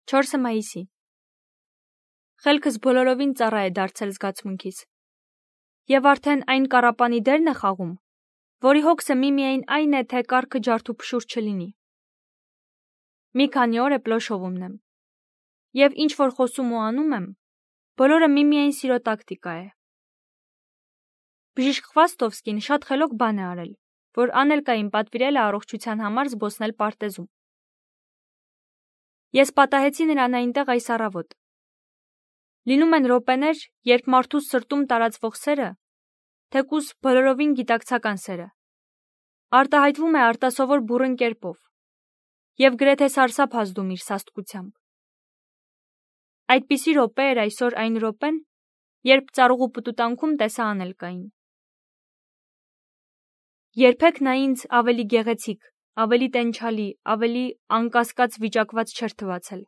4 մայիսի։ Խելքս բոլորովին ծառա է դարձել զգացմունքիս։ Եվ արդեն այն կառապանի դերն է խաղում, որի հոգսը միմիայն այն է, թե կառքը ջարդուփշուր չլինի։ Մի քանի օր է պլոշովում եմ։ Եվ ինչ որ խոսում ու անում եմ, բոլորը միմիայն սիրո տակտիկա է։ Բժիշկ Խվաստովսկին շատ խելոք բան է արել, որ Անելկային պատվիրել է առողջության համար զբոսնել պարտեզում։ Ես պատահեցի նրան այնտեղ այս առավոտ։ Լինում են րոպեներ, երբ մարդուս սրտում տարածվող սերը, թեկուզ բոլորովին գիտակցական սերը, արտահայտվում է արտասովոր բուռն կերպով և գրեթե սարսափ ազդում իր սաստկությամբ։ Այդպիսի րոպե էր այսօր այն րոպեն, երբ ծառուղու պտուտանքում տեսա Անելկային։ Երբեք նա ինձ ավելի գեղեցիկ, ավելի տենչալի, ավելի անկասկած վիճակված չէր թվացել։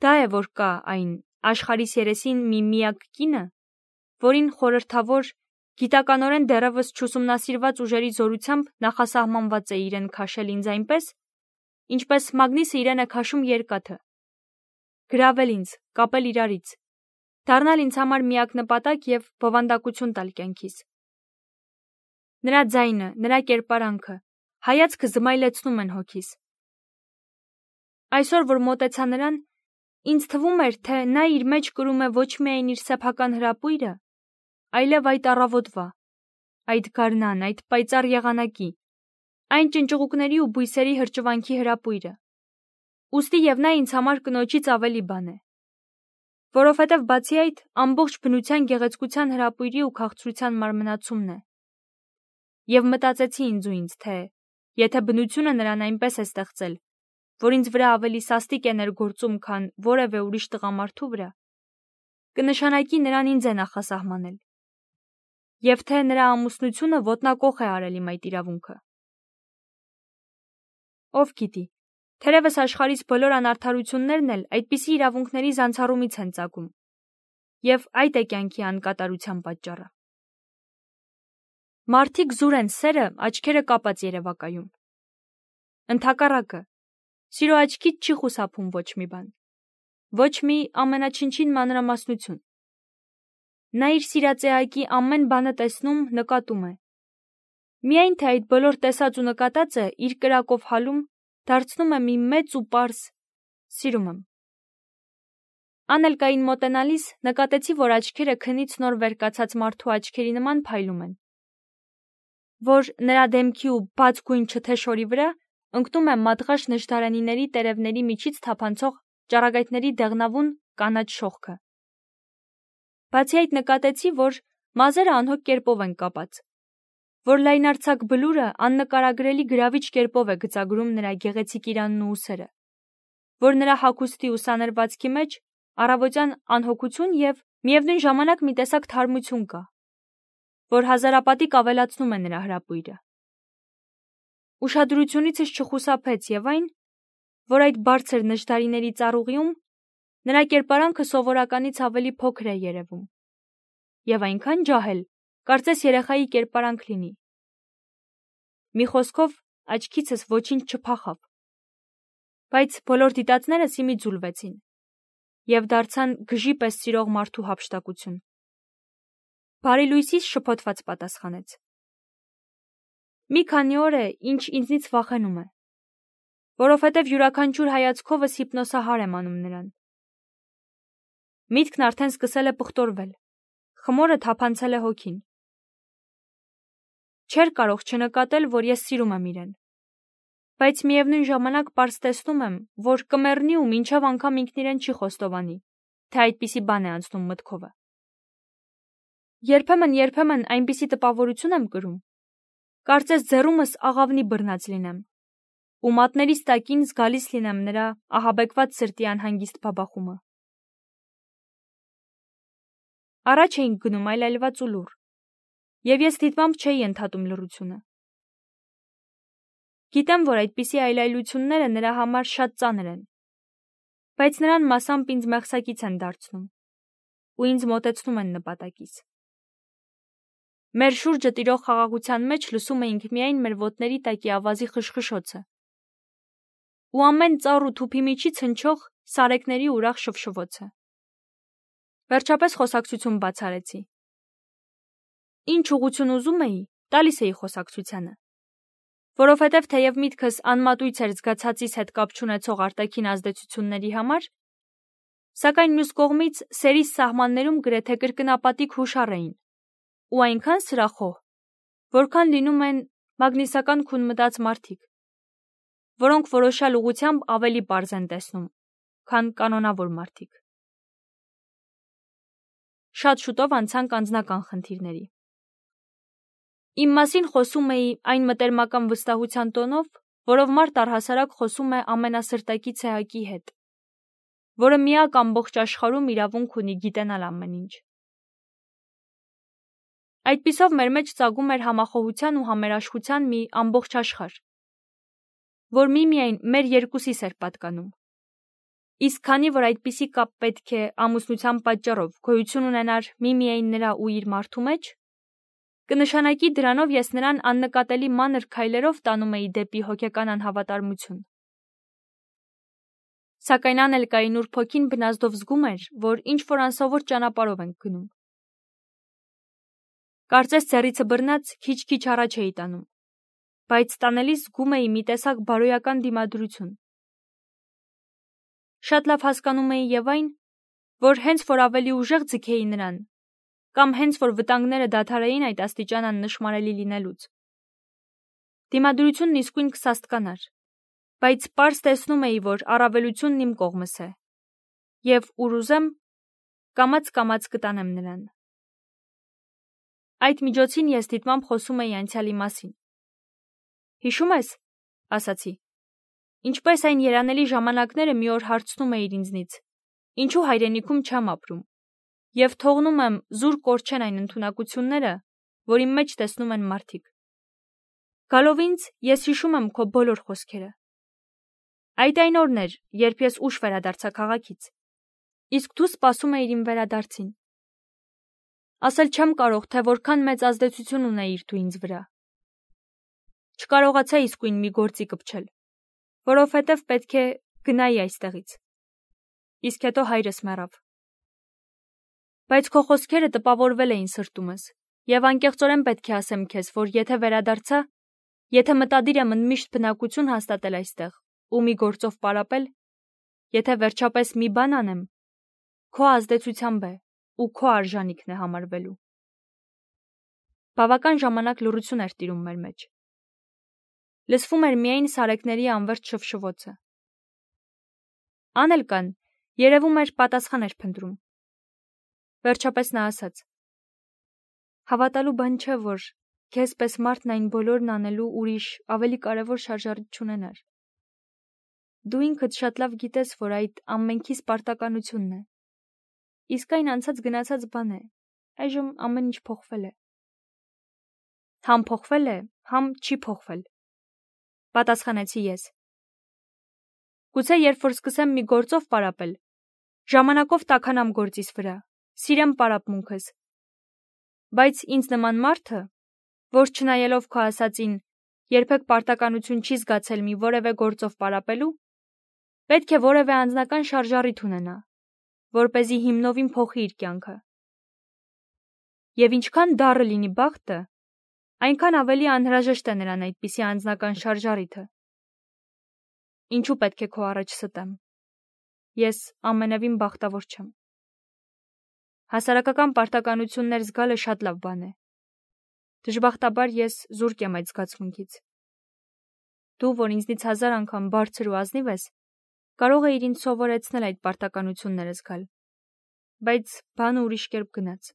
Դա է, որ կա այն աշխարհիս երեսին մի միակ կինը, որին խորհրդավոր, գիտականորեն դեռևս չուսումնասիրված ուժերի զորությամբ նախասահմանված է իրեն քաշել ինձ այնպես, ինչպես Մագնիսը իրեն է քաշում երկաթը, գրավել ինձ, կապել իրարից, դառնալ ինձ համար միակ նպատակ և բովանդակություն տալ կյանքիս։ Նրա ձայնը, նրա կերպարանքը, հայացքը զմայլեցնում են հոգիս։ Այսօր, որ մոտեցա նրան, ինձ թվում էր, թե նա իր մեջ կրում է ոչ միայն իր սեփական հրապույրը, այլև այդ առավոտվա, այդ գարնան, այդ պայծառ եղանակի, այն ճնճղուկների ու բույսերի հրճվանքի հրապույրը։ Ուստի և նա ինձ համար կնոջից ավելի բան է։ Որովհետև բացի այդ, ամբողջ բնության գեղեցկության հրապույրի ու քաղցրության մարմնացումն է։ Եվ մտածեցի ինձ, թե եթե բնությունը նրան այնպես է ստեղծել, որ ինձ վրա ավելի սաստիկ է ներգործում, քան որևէ ուրիշ տղամարդու վրա, կնշանակի նրան ինձ է նախասահմանել, և թե նրա ամուսնությունը ոտնակոխ է արել իմ այդ իրավունքը։ Ով գիտի, թերևս աշխարհիս բոլոր անարդարություններն էլ այդպիսի իրավունքների զանցառումից են ծագում, և այդ է կյանքի անկատարության պատճառը։ Մարդիկ զուր են սերը աչքերը կապած երևակայում։ Ընդհակառակը, սիրո աչքից չի խուսափում ոչ մի բան, ոչ մի ամենաչնչին մանրամասնություն։ Նա իր սիրածեակի ամեն բանը տեսնում, նկատում է։ Միայն թե այդ բոլոր տեսած ու նկատածը իր կրակով հալում, դարձնում է մի մեծ ու պարզ «սիրում եմ»։ Անելկային մոտենալիս նկատեցի, որ աչքերը քնից նոր վեր կացած մարդու աչքերի նման փայլում են, որ նրա դեմքի ու բաց գույն չթե շորի վրա ընկնում է մատղաշ նժդարանիների տերևների միջից թափանցող ճառագայթների դեղնավուն կանաչ շողքը։ Բացի այդ նկատեցի, որ մազերը անհոգ կերպով են կապած, որ լայնարձակ բլուրը աննկարագրելի գրավիչ կերպով է գծագրում նրա գեղեցիկ իրանն ու ուսերը, որ նրա հագուստի ու սանրվածքի մեջ առավոտյան անհոգություն և միևնույն ժամանակ մի տեսակ թարմություն կա, որ հազարապատիկ ավելացնում է նրա հրապույրը։ Ուշադրությունիցս չխուսափեց և այն, որ այդ բարձր նժդարիների ծառուղիում նրա կերպարանքը սովորականից ավելի փոքր է երևում, և այնքան ջահել, կարծես երեխայի կերպարանք լինի։ Մի խոսքով, աչքիցս ոչինչ չփախավ, բայց բոլոր դիտածներս իմիջ ձուլվեցին և դարձան գժի պես սիրող մարդու հափշտակություն։ Բարի լույսիս շփոթված պատասխանեց. Մի քանի օր է, ինչ ինձնից վախենում է, որովհետև յուրաքանչյուր հայացքովս հիպնոսահար եմ անում նրան։ Միտքն արդեն սկսել է պղտորվել, խմորը թափանցել է հոգին։ Չէր կարող չնկատել, որ ես սիրում եմ իրեն, բայց միևնույն ժամանակ պարզ տեսնում եմ, որ կմեռնի ու մինչև անգամ ինքն իրեն չի խոստովանի, թե այդպիսի բան է անցնում մտքովը։ Երբեմն այնպիսի տպավորություն եմ կրում, կարծես ձեռումս աղավնի բռնած լինեմ, ու մատներիս տակին զգալիս լինեմ նրա ահաբեկված սրտի անհանգիստ բաբախումը։ Առաջ էինք գնում այլայլված ու լուռ, և ես դիտմամբ չէի ընդհատում լռությունը։ Գիտեմ, որ այդպիսի այլայլությունները նրա համար շատ ծանր են, բայց նրան մասամբ ինձ մեղսակից են դարձնում ու ինձ մոտեցնում են նպատակիս։ Մեր շուրջը տիրող խաղաղության մեջ լսում էինք միայն մեր ոտների տակի ավազի խշխշոցը ու ամեն ծառ ու թուփի միջից հնչող սարեկների ուրախ շվշվոցը։ Վերջապես խոսակցություն բաց արեցի։ Ինչ ուղղություն ուզում էի, տալիս էի խոսակցությանը։ Որովհետև թեև միտքս անմատույց էր զգացածիս հետ կապ չունեցող արտաքին ազդեցությունների համար, սակայն մյուս կողմից սերիս սահմաններում գրեթե կրկնապատիկ հուշառ էին, ու այնքան սրախոհ, որքան լինում են մագնիսական քուն մտած մարդիկ, որոնք որոշյալ ուղղությամբ ավելի պարզ են տեսնում, քան կանոնավոր մարդիկ։ Շատ շուտով անցանք անձնական խնդիրների։ Իմ մասին խոսում էի այն մտերմական վստահության տոնով, որով մարդ առհասարակ խոսում է ամենասրտակից էակի հետ, որը միակ ամբողջ աշխարհում իրավունք ունի գիտենալ ամեն ինչ։ Այդպիսով մեր մեջ ծագում էր համախոհության ու համերաշխության մի ամբողջ աշխարհ, որ միմիայն մեր երկուսիս էր պատկանում։ Իսկ քանի որ այդպիսի կապ պետք է ամուսնության պատճառով գոյություն ունենար միմիայն նրա ու իր մարդու մեջ, կնշանակի դրանով ես նրան աննկատելի մանր քայլերով տանում էի դեպի հոգեկան անհավատարմություն։ Սակայն անել կայի նուրբ հոգին բնազդով զգում էր, որ ինչ-որ անսովոր ճանապարհով ենք գնում։ Կարծես ձեռիցը բռնած քիչ-քիչ առաջ էի տանում, բայց տանելիս զգում էի մի տեսակ բարոյական դիմադրություն։ Շատ լավ հասկանում էի եւ այն, որ հենց որ ավելի ուժեղ ձգեի նրան, կամ հենց որ վտանգները դադարեին այդ աստիճան աննշմարելի լինելուց, դիմադրությունն իսկույն կսաստկանար, բայց պարզ տեսնում էի, որ առավելությունն իմ կողմս է, եւ ուր ուզեմ, կամաց-կամաց կտանեմ նրան։ Այդ միջոցին ես դիտմամբ խոսում էի անցյալի մասին։ Հիշում ես, ասացի, ինչպես այն երանելի ժամանակները մի օր հարցնում էիր ինձնից, ինչու հայրենիքում չեմ ապրում, եւ թողնում եմ զուր կորչեն այն ընդունակությունները, որ իմ մեջ տեսնում են մարդիկ։ Գալով ինձ, ես հիշում եմ քո բոլոր խոսքերը։ Այդ այն օրն էր, երբ ես ուշ վերադարձա քաղաքից, իսկ դու սպասում էիր իմ վերադարձին։ Ասել չեմ կարող, թե որքան մեծ ազդեցություն ունեիր դու ինձ վրա։ Չկարողացա իսկույն մի գործի կպչել, որովհետև պետք է գնայի այստեղից։ Իսկ հետո հայրս մեռավ։ Բայց քո խոսքերը տպավորվել էին սրտումս, եւ անկեղծորեն պետք է ասեմ քեզ, որ եթե վերադարձա, եթե մտադիր եմ ընդմիշտ բնակություն հաստատել այստեղ ու մի գործով պարապել, եթե վերջապես մի բան անեմ, քո ազդեցությամբ է ու քո արժանիքն է համարվելու։ Բավական ժամանակ լռություն էր տիրում մեր մեջ։ Լսվում էր միայն սարեկների անվերջ շվշվոցը։ Անելկան, երևում էր, պատասխան էր փնտրում։ Վերջապես նա ասաց. Հավատալու բան չէ, որ քեզ պես մարդն այն բոլորն անելու ուրիշ ավելի կարևոր շարժառիթ չունենար։ Դու ինքդ շատ լավ գիտես, որ այդ ամենքիս պարտականությունն է։ Իսկ այն անցած գնացած բան է։ Այժմ ամեն ինչ փոխվել է։ Համ փոխվել է, համ չի փոխվել, պատասխանեցի ես։ Գուցե երբ որ սկսեմ մի գործով պարապել, ժամանակով տաքանամ գործիս վրա, սիրեմ պարապմունքս։ Բայց ինձ նման մարդը, որ չնայելով քո ասածին, երբեք պարտականություն չի զգացել մի որևէ գործով պարապելու, պետք է որևէ անձնական շարժառիթ ունենա, որպեսզի հիմնովին փոխի իր կյանքը։ Եվ ինչքան դառը լինի բախտը, այնքան ավելի անհրաժեշտ է նրան այդպիսի անձնական շարժառիթը։ Ինչու պետք է քո առաջ ստեմ։ Ես ամենևին բախտավոր չեմ։ Հասարակական պարտականություններ զգալը շատ լավ բան է։ Դժբախտաբար ես զուրկ եմ այդ զգացմունքից։ Դու, որ ինձնից 1000 անգամ բարձր ու ազնիվ ես, կարող էիր ինձ սովորեցնել այդ պարտականությունները զգալ, բայց բանը ուրիշ կերպ գնաց։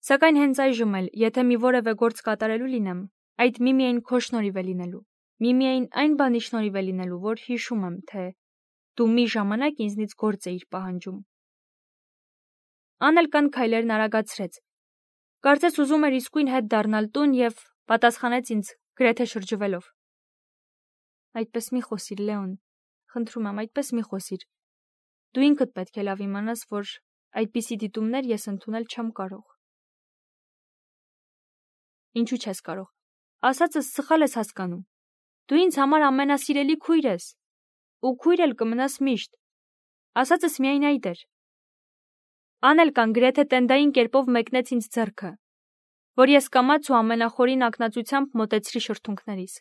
Սակայն հենց այժմ էլ, եթե մի որևէ գործ կատարելու լինեմ, այդ միմիայն քո շնորհիվ է լինելու, միմիայն այն բանի շնորհիվ է լինելու, որ հիշում եմ, թե դու մի ժամանակ ինձնից գործ էիր պահանջում։ Անելկան քայլերն արագացրեց։ Կարծես ուզում էր իսկույն հետ դառնալ տուն եւ պատասխանեց ինձ գրեթե շրջվելով. Այդպես մի խոսիր, Լեոն, խնդրում եմ, այդպես մի խոսիր։ Դու ինքդ պետք է լավ իմանաս, որ այդպիսի դիտումներ ես ընդունել չեմ կարող։ Ինչու չես կարող։ Ասածս սխալ ես հասկանում։ Դու ինձ համար ամենասիրելի քույր ես։ ու քույր էլ կմնաս միշտ, ասածս միայն այդ էր։ Անելկան գրեթե տենդային կերպով մեկնեց ինձ ձեռքը, որ ես կամաց ու ամենախորին ակնածությամբ մոտեցրի շրթունքներիս։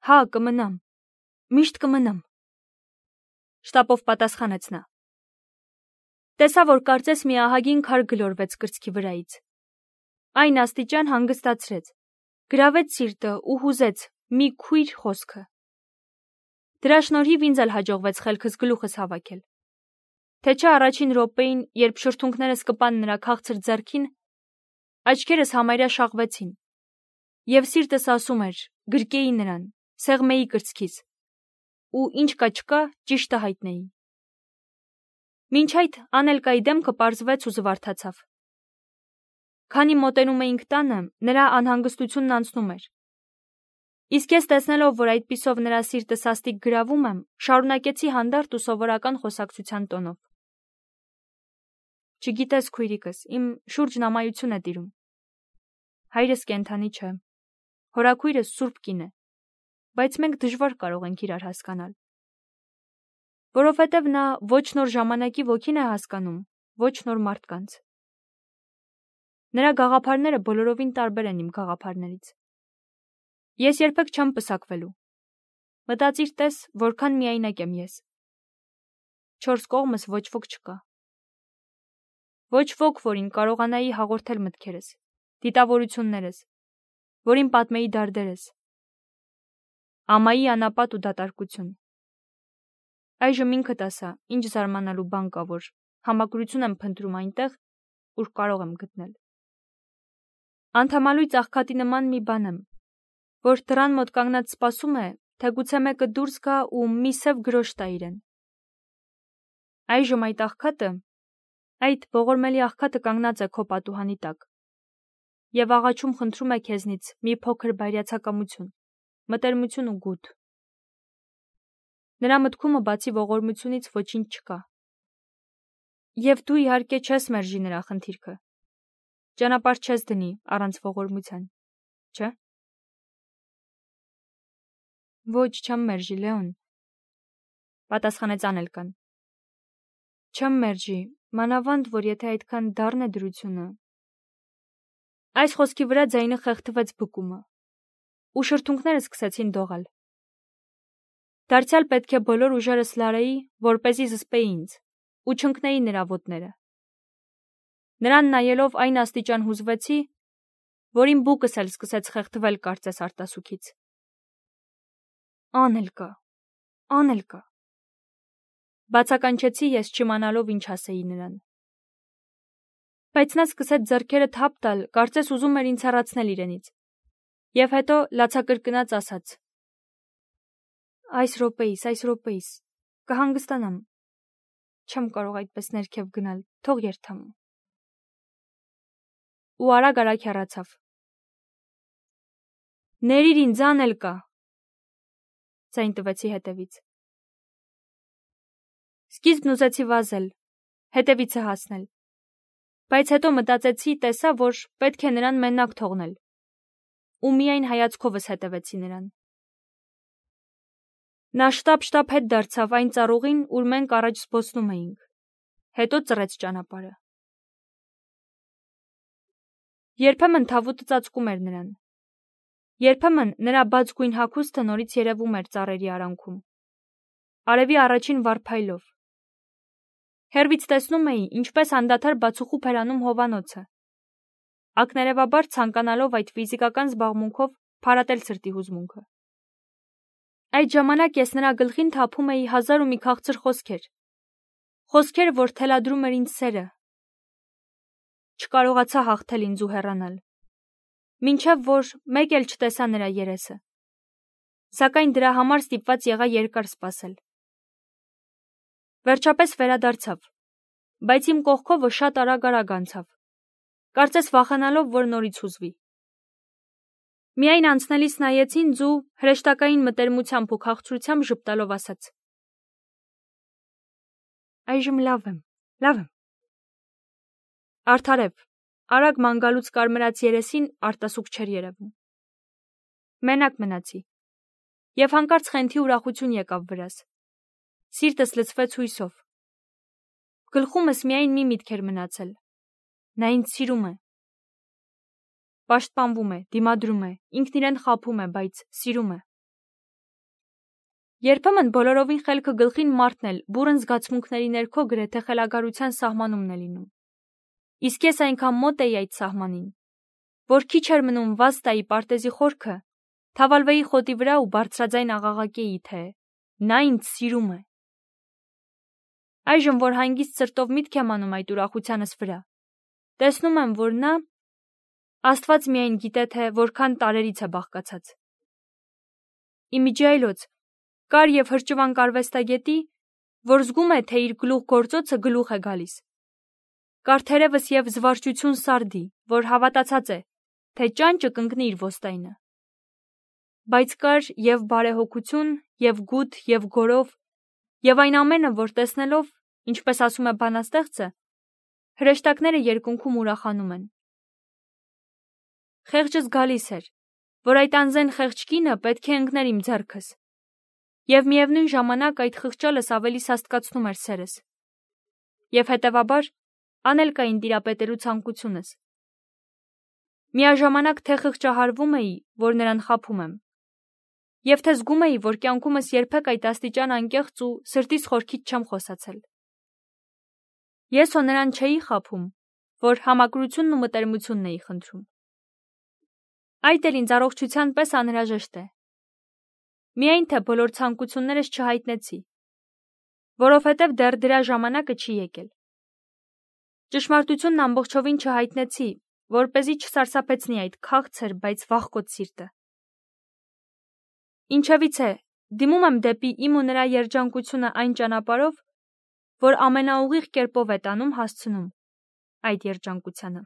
Հա, կմնամ, միշտ կմնամ, շտապով պատասխանեց նա։ Տեսա, որ կարծես մի ահագին քար գլորվեց կրծքի վրայից։ Այն աստիճան հանգստացրեց, գրավեց սիրտը ու հուզեց մի քույր խոսքը։ Դրա շնորհիվ ինձ էլ հաջողվեց խելքս գլուխս հավաքել։ Թե չէ առաջին րոպեին, երբ շրթունքներս կպան նրա քաղցր ձեռքին, աչքերս համարյա շաղվեցին, և սիրտս ասում էր, գրկեի նրան, սեղմեի կրծքիս, ու ինչ կա չկա, ճիշտը հայտնեի։ Մինչ այդ Անելկայի դեմքը պարզվեց ու զվարթացավ։ Քանի մոտենում էինք տանը, նրա անհանգստությունն անցնում էր։ Իսկ ես տեսնելով, որ այդպիսով նրա սիրտը սաստիկ գրավում եմ, շարունակեցի հանդարտ ու սովորական խոսակցության տոնով։ Չգիտես, քույրիկս, իմ շուրջն ամայություն է տիրում։ Հայրս կենդանի չէ, հորաքույրս սուրբ կին է, բայց մենք դժվար կարող ենք իրար հասկանալ։ Որովհետև նա ոչ նոր ժամանակի ոգին է հասկանում, ոչ նոր մարդկանց։ Նրա գաղափարները բոլորովին տարբեր են իմ գաղափարներից։ Ես երբեք չեմ պսակվելու։ Մտածիր տես, որքան միայնակ եմ ես։ Չորս կողմս ոչ ոք չկա։ Ոչ ոք, որին կարողանայի հաղորդել մտքերս, դիտավորություններս, որին պատմեի դարդերս։ Ամայի անապատ ու դատարկություն։ Այժմ ինքդ ասա, ինչ զարմանալու բան կա, որ համակրություն եմ փնտրում այնտեղ, ուր կարող եմ գտնել։ Անդամալույց աղքատի նման մի բան եմ, որ դռան մոտ կանգնած սպասում է, թե գուցե մեկը դուրս գա ու մի սև գրոշ տա իրեն։ Այժմ այդ ողորմելի աղքատը կանգնած է քո պատուհանի տակ և աղաչում խնդրում է քեզնից մի փոքր բայրացակամություն, մտերմություն ու գութ։ Նրա մտքումը բացի ողորմությունից ոչինչ չկա։ Եվ դու իհարկե չես մերժի նրա խնդիրքը։ Ճանապարհ չես դնի առանց ողորմության, չէ՞։ Ոչ, չեմ մերժի, Լեոն, պատասխանեց Անելկան։ Չեմ մերժի, մանավանդ, որ եթե այդքան դառն է դրությունը։ Այս խոսքի վրա ձայնը խեղդվեց բկումը, ու շրթունքները սկսեցին դողալ։ Դարձյալ պետք է բոլոր ուժերս լարեի, որպեսզի զսպեի ինձ, ու չընկնեի նրա ոտները։ Նրան նայելով այն աստիճան հուզվեցի, որ իմ բուկս էլ սկսեց խեղդվել կարծես արտասուքից։ Անելկա, բացականչեցի ես չիմանալով ինչ ասեի նրան։ Բայց նա սկսեց ձեռքերը թափ տալ, կարծես ուզում էր ինձ հեռացնել իրենից, և հետո լացակրկնաց ասաց. Այս րոպեիս, կհանգստանամ, չեմ կարող այդպես ներքև գնալ, թող երթամ։ Ու արագ հեռացավ։ Ներիր ինձ, Անելկա, ձայն տվեցի հետևից։ Սկիզբն ուզեցի վազել, հետևիցը հասնել, բայց հետո մտածեցի, տեսա, որ պետք է նրան մենակ թողնել, ու միայն հայացքովս հետևեցի նրան։ Նա շտապ հետ դարձավ այն ծառուղին, ուր մենք առաջ զբոսնում էինք, հետո ծռեց ճանապարհը։ Երբեմն թավուտը ծածկում էր նրան։ Երբեմն նրա բաց գույն հագուստը նորից երևում էր ծառերի արանքում, արևի առաջին վառ փայլով։ Հեռվից տեսնում էի, ինչպես անդադար բացուխուփ էր անում հովանոցը, ակներևաբար ցանկանալով այդ ֆիզիկական զբաղմունքով փարատել սրտի հուզմունքը։ Այդ ժամանակ ես նրա գլխին թափում էի հազար ու մի քաղցր խոսքեր, որ թելադրում էր ինձ սերը։ Չկարողացա հաղթել ինձ ու հեռանալ, մինչև որ մեկ էլ չտեսա նրա երեսը, սակայն դրա համար ստիպված եղա երկար սպասել։ Վերջապես վերադարձավ, բայց իմ կողքովը շատ արագ անցավ, կարծես վախենալով, որ նորից հուզվի։ Միայն անցնելիս նայեց ինձ ու հրեշտակային մտերմությամբ ու քաղցրությամբ ժպտալով ասաց. Այժմ լավ եմ։ Արդարև, արագ ման գալուց կարմրած երեսին արտասուք չէր երևում։ Մենակ մնացի։ Եվ հանկարծ խենթի ուրախություն եկավ վրաս։ Սիրտս լցվեց հույսով։ Գլխումս միայն մի միտք էր մնացել. նա ինձ սիրում է։ Պաշտպանվում է, դիմադրում է, ինքն իրեն խաբում է, բայց սիրում է։ Երբեմն բոլորովին խելքը գլխին մարդն էլ բուռն զգացմունքների ներքո գրեթե խելագարության սահմանումն է լինում։ Իսկ ես այնքան մոտ էի այդ սահմանին, որ քիչ էր մնում վազ տայի պարտեզի խորքը, թավալվեի խոտի վրա ու բարձրաձայն աղաղակեի, թե նա ինձ սիրում է։ Այժմ, որ հանգիստ սրտով միտք եմ անում այդ ուրախությանս վրա, տեսնում եմ, որ նա Աստված միայն գիտե, թե որքան տարերից է բաղկացած։ Իմիջիայլոց կար և հրճվանք արվեստագետի, որ զգում է, թե իր գլուխ գործոցը գլուխ է գալիս։ Կար թերևս և զվարճություն սարդի, որ հավատացած է, թե ճանճը կընկնի իր ոստայնը։ Բայց կար և բարեհոգություն, և գութ, և գորով, և այն ամենը, որ տեսնելով, ինչպես ասում է բանաստեղծը, հրեշտակները երկնքում ուրախանում են։ Խեղճս գալիս էր, որ այդ անզեն խեղճ կինը պետք է ընկներ իմ ձեռքս, և միևնույն ժամանակ այդ խղճալս ավելի սաստկացնում էր սերս, և հետևաբար անել կային տիրապետելու ցանկությունս։ Միաժամանակ թե խղճահարվում էի, որ նրան խաբում եմ, և թե զգում էի, որ կյանքումս երբեք այդ աստիճան անկեղծ ու սրտիս խորքից չեմ խոսացել։ Ես հո նրան չէի խաբում, որ համակրությունն ու մտերմությունն էի խնդրում։ Այդ էլ ինձ առողջության պես անհրաժեշտ է։ Միայն թե բոլոր ցանկություններս չհայտնեցի, որովհետև դեռ դրա ժամանակը չի եկել։ Ճշմարտությունն ամբողջովին չհայտնեցի, որպեսզի չսարսափեցնի այդ քաղցր, բայց վախկոտ սիրտը։ Ինչևիցե, դիմում եմ դեպի իմ ու նրա երջանկությունը այն ճանապարհով, որ ամենաուղիղ կերպով է տանում հասցնում այդ երջանկությանը։